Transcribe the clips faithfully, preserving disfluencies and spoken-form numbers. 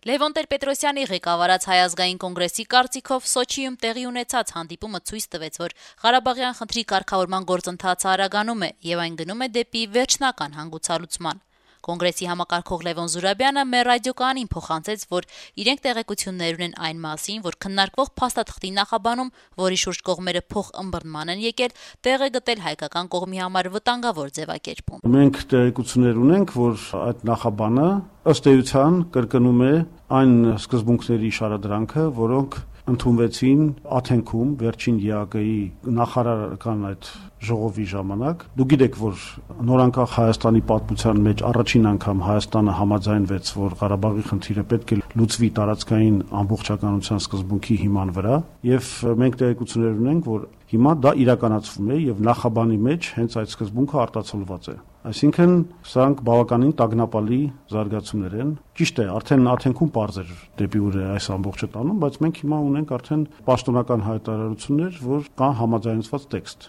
Լևոն Տեր-Պետրոսյանի ղեկավարած Հայ ազգային կոնգրեսի կարծիքով Սոչիում տեղի ունեցած հանդիպումը ցույց տվեց, որ Ղարաբաղյան խնդրի կարգավորման գործընթացը արագանում է եւ այն գնում է դեպի վերջնական հանգուցալուծման։ Կոնգրեսի համակարգող Լևոն Զուրաբյանը մեր ռադիոկայանին փոխանցեց, որ իրենք տեղեկություններ ունեն այն մասին, որ քննարկվող փաստաթղթի նախաբանում, որի շուրջ կողմերը փոխըմբռնման են եկել, տեղ է գտել հայկական կողմի համար վտանգավոր ձևակերպում։ Մենք տեղեկություններ ունենք, որ այդ նախաբանը ըստ էության կրկնում է այն սկզբունքների շարադրանքը, որոնք ընդունվեցին Աթենքում վերջին ԵԱԿ-ի նախարարական այդ ժողովի ժամանակ։ Դուք գիտեք, որ նորանկախ Հայաստանի պատմության մեջ առաջին անգամ Հայաստանը համաձայնվեց, որ Ղարաբաղի խնդիրը պետք է լուծվի տարածքային ամբողջականության սկզբունքի հիման վրա, եւ մենք տեղեկություններ ունենք, որ հիմա դա իրականացվում է եւ նախաբանի մեջ հենց այդ սկզբունքը արտացոլված է։ Այսինքն սրանք բավականին տագնապալի զարգացումներ են։ Ճիշտ է, արդեն Աթենքում պարզ էր դեպի ուր է այս ամբողջը տանում, բայց մենք հիմա ունենք արդեն պաշտոնական հայտարարություններ, որ կա համաձայնեցված տեքստ։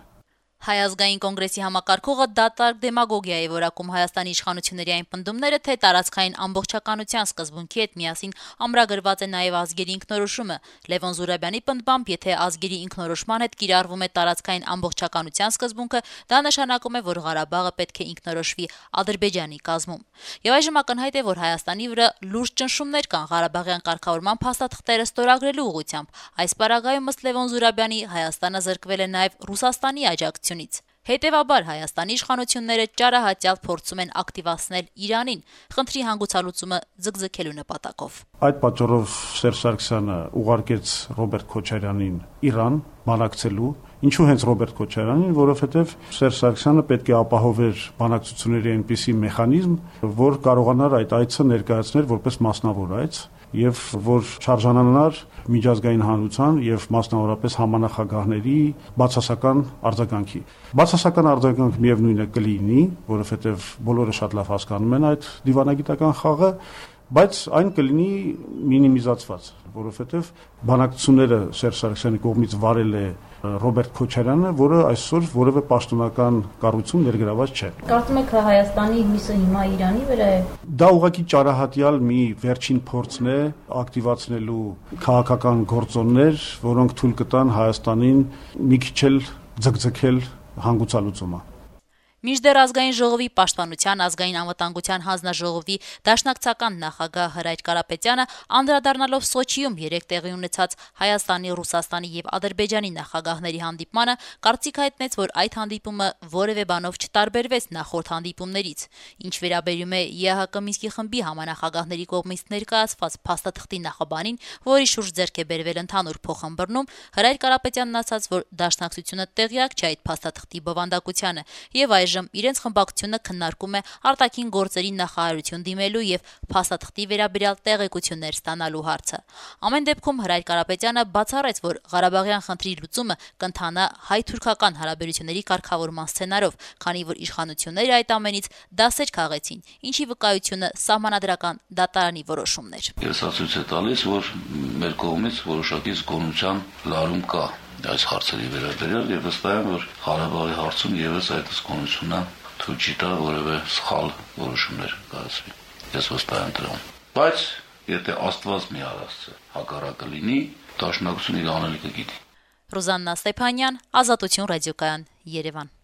Հայ ազգային կոնգրեսի համակարգողը դատարկ դեմագոգիա է որակում Հայաստանի իշխանությունների այն պնդումները, թե տարածքային ամբողջականության սկզբունքի հետ միասին ամրագրված է նաև ազգերի ինքնորոշումը։ Լևոն Զուրաբյանի պնդմամբ, եթե ազգերի ինքնորոշման հետ կիրառվում է տարածքային ամբողջականության սկզբունքը, դա նշանակում է, որ Ղարաբաղը պետք է ինքնորոշվի Ադրբեջանի կազմում։ Եվ այժմ ակնհայտ է, որ Հայաստանի վրա լուրջ ճնշումներ կան Ղարաբաղյան կարգավորման փաստաթղթերը ստորագրելու ուղղությամբ։ Այս պարագայում ըստ Լևոն Զուրաբյանի Հայաստանը զրկվել է նաև Ռուսաստանի աջակցությունից։ Հետևաբար Հայաստանի իշխանությունները ճարահատյալ փորձում են ակտիվացնել Իրանին, խնդրի հանգուցալուծումը ձգձգելու նպատակով։ Այդ պատճառով Սերժ Սարգսյանը ուղարկեց Ռոբերտ Քոչարյանին Իրան բանակցելու։ Ինչու հենց Ռոբերտ Քոչարյանին, որովհետև Սերժ Սարգսյանը պետք է ապահովեր բանակցությունների այնպիսի մեխանիզմ, որ կարողանար այդ այցը ներկայացնել որպես մասնավոր այց եւ որ չարժանանար միջազգային հանրության եւ մասնավորապես համանախագահների բացասական արձագանքի։ Բացասական արձագանք միևնույնն է կլինի, որովհետեւ բոլորը շատ լավ հասկանում են այդ դիվանագիտական խաղը, բայց այն կլինի մինիմիզացված, որովհետև բանակցությունները Սերժ Սարգսյանի կողմից վարել է Ռոբերտ Քոչարյանը, որը այսօր որևէ պաշտոնական կառույցում ներգրաված չէ։ Կարծում եք Հայաստանի հույսը հիմա Իրանի վրա է։ Դա ուղղակի ճարահատյալ մի վերջին փորձն է ակտիվացնելու քաղաքական գործոններ, որոնք թույլ կտան Հայաստանին մի քիչ էլ ձգձգել հանգուցալուծումը։ Մինչդեռ ազգային ժողովի պաշտպանության ազգային անվտանգության հանձնաժողովի դաշնակցական նախագահ Հրայր Կարապետյանը անդրադառնալով Սոչիում երեկ տեղի ունեցած Հայաստանի, Ռուսաստանի եւ Ադրբեջանի նախագահների հանդիպմանը կարծիք հայտնեց, որ այդ հանդիպումը որևէ բանով չտարբերվեց նախորդ հանդիպումներից։ Ինչ վերաբերում է ԵԱՀԿ Մինսկի խմբի համանախագահների կողմից ներկայացված փաստաթղթի նախաբանին, որի շուրջ ձեռք է բերվել ընդհանուր փոխըմբռնում, Հրայր Կարապետյանն ասաց, որ դաշնակցությունը տեղյակ չէ այդ փաստաթղթի բովանդակությանը եւ այժմ իրենց խմբակցությունը քննարկում է արտաքին գործերի նախարարություն դիմելու եւ փաստաթղթի վերաբերյալ տեղեկություններ ստանալու հարցը։ Ամեն դեպքում Հրայր Կարապետյանը բացառեց, որ Ղարաբաղյան խնդրի լուծումը կընթանա հայ-թուրքական հարաբերությունների կարգավորման սցենարով, քանի որ իշխանությունները այդ ամենից դասեր քաղեցին, ինչի վկայությունը սահմանադրական դատարանի որոշումն էր։ Ես ցույց է տալիս, որ մեր կողմից որոշակի զգոնության լարում կա այս հարցերի վերաբերյալ եւ վստահ եմ, որ Ղարաբաղի հարցում եւս այդ զգոնությունը թույլ չի տա որևէ սխալ որոշումներ կայացվի։ Ես վստահ եմ դրան։ Բայց եթե Աստված մի արածը հակառակը լինի, դաշնակցությունը իր անելիքը գիտի։ Ռուզաննա Ստեփանյան, Ազատություն ռադիոկայան, Երևան։